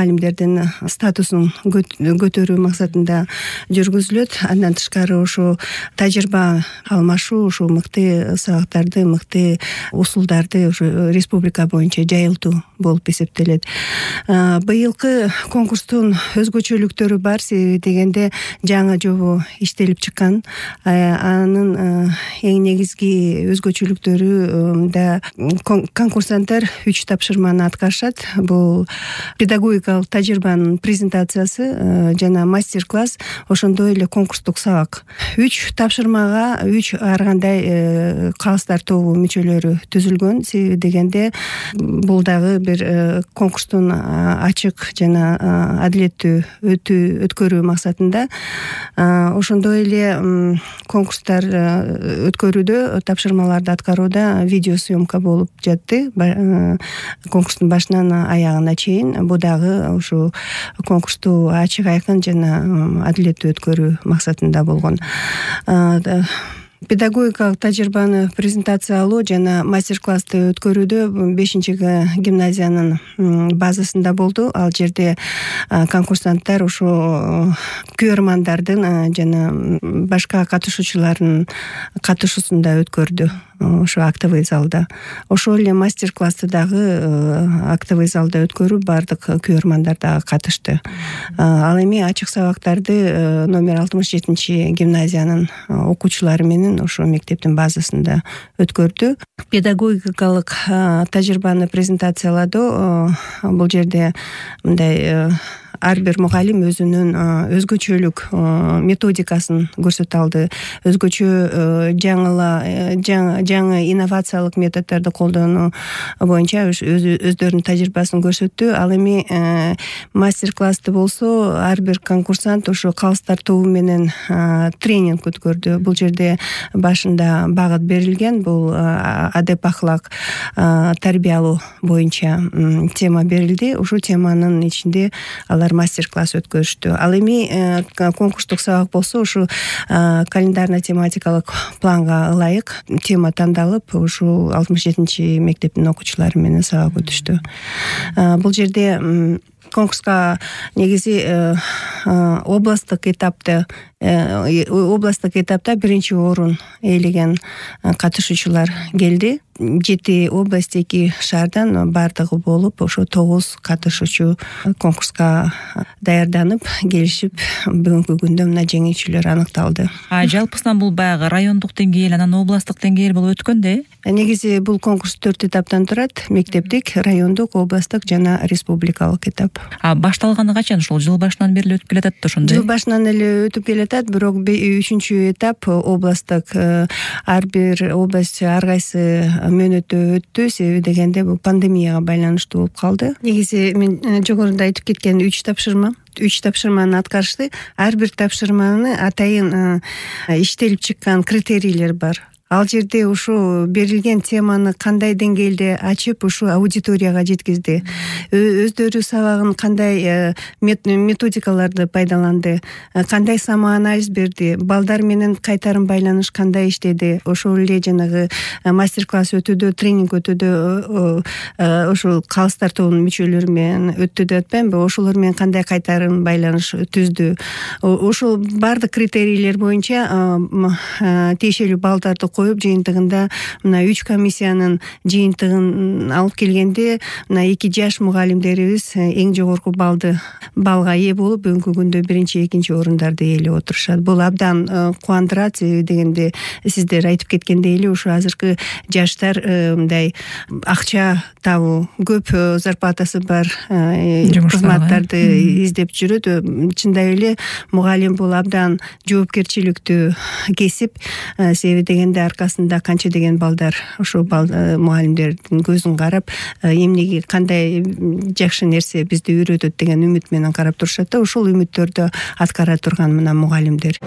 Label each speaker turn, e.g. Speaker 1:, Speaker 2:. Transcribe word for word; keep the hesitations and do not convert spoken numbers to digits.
Speaker 1: мугалимдердин статусун көтөрүү максатында жүргүзүлөт. Андан тышкары ошо тажрыйба алмашуу, ошо мыкты сабактарды, мыкты усулдарды ошо республика боюнча жайылтуу болуп эсептелет. Быйылкы конкурстун өзгөчөлүктөрү бар, себеби дегенде жаңы жобо иштелип чыккан. Анын эң негизги өзгөчөлүктөрү да конкурсанттар үч тапшырманы аткарышат. Бул педагогикалык тажрыйбанын презентациясы жана мастер-класс, ошондой эле конкурстук сабак. Үч тапшырмага үч ар кандай калыстар тобу мүчөлөрү түзүлгөн. Себеби дегенде бул дагы бир конкурстун ачык жана адилеттүү өткөрүү максатында. Ошондой эле конкурстар өткөрүүдө, тапшырмаларды аткарууда видеосъемка болуп жатты. Конкурстун башынан аягына чейин. Бул дагы ушу конкурсту ачык, айкын жана адилеттүү өткөрүү максатында болгон. Педагогикалык тажрыйбаны презентациялоо жана мастер-классты өткөрүүдө бешинчи гимназиянын базасында болду. Ал жерде конкурсанттар ошо көрөрмандардын жана башка катышуучулардын катышуусунда өткөрдү. Ошо актовый залда. Ошол эле мастер-классты дагы актовый залда өткөрүп, бардык көрөрмандар дагы катышты. Ал эми ачык сабактарды номер алтымыш жетинчи гимназиянын окуучулары менен ошо мектептин базасында өткөрдү. Педагогикалык тажрыйбаны презентацияладо бул жерде мындай ар бир мугалим өзүнүн өзгөчөлүк методикасын көрсөтө алды. Өзгөчө жаңыла жаңы инновациялык методдорду колдонуу боюнча өздөрүнүн тажрыйбасын көрсөттү. Ал эми мастер-классты болсо ар бир конкурсант ошо калыстар тобу менен тренинг өткөрдү. Бул жерде башында багыт берилген. Бул адеп ахлак тарбиялоо боюнча тема берилди. Ушул теманын ичинде алар мастер-класс өткөрүштү. Ал эми конкурстук сабак болсо ушу календарно-тематикалык планга ылайык тема тандалып, ушу алтымыш жетинчи мектептин окуучулары менен сабак өтүштү. Бул жерде конкурска негизи областтык этапты областтык этапта биринчи орун ээлеген катышуучулар келди. Жети область, эки шаардан бардыгы болуп, ошо тогуз катышуучу конкурска даярданып келишип, бүгүнкү күндө мына жеңүүчүлөр аныкталды.
Speaker 2: А жалпысынан бул баягы райондук деңгээл, анан областтык деңгээл болуп өткөн да?
Speaker 1: Негизи бул конкурс төрт этаптан турат: мектептик, райондук, областтык жана республикалык этап.
Speaker 2: А башталганы качан? Ушул жыл башынан бери өтүп келатат да ошондой?
Speaker 1: Жыл башынан эле өтүп келатат, бирок үчүнчү этап областтык, ар бир область ар кайсы мөөнөттө өттү. Себеби дегенде бул пандемияга байланыштуу болуп калды. Негизи мен жогоруда айтып кеткен үч тапшырма үч тапшырманы аткарышты. Ар бир тапшырманы атайын иштелип чыккан критерийлер бар. Ал жерде ушу берилген теманы кандай деңгээлде ачып, ушу аудиторияга жеткизди. Өздөрү сабагын кандай методикаларды пайдаланды, кандай самоанализ берди, балдар менен кайтарым байланыш кандай иштеди. Ошол эле жанагы мастер-класс өтүүдө, тренинг өтүүдө ошол калыстар тобунун мүчөлөрү менен өттү деп атпаймынбы? Ошолор менен кандай кайтарым байланыш түздү. Ошол бардык критерийлер боюнча тиешелүү балдарды коюп, жыйынтыгында мына үч комиссиянын жыйынтыгын алып келгенде, мына эки жаш мугалимдерибиз эң жогорку балды балга ээ болуп, бүгүнкү күндө биринчи, экинчи орундарды ээлеп отурушат. Бул абдан кубандырат, дегенде сиздер айтып кеткендей эле ушу азыркы жаштар мындай акча табуу, көп зарплатасы бар кызматтарды издеп жүрөт. Чындай эле мугалим бул абдан жоопкерчиликтүү кесип. Себеби дегенде аркасында канча деген балдар ошо мугалимдердин көзүн карап, эмнеге кандай жакшы нерсе бизди үйрөтөт деген үмүт менен карап турушат да. Ошол үмүттөрдү аткара турган мына мугалимдер.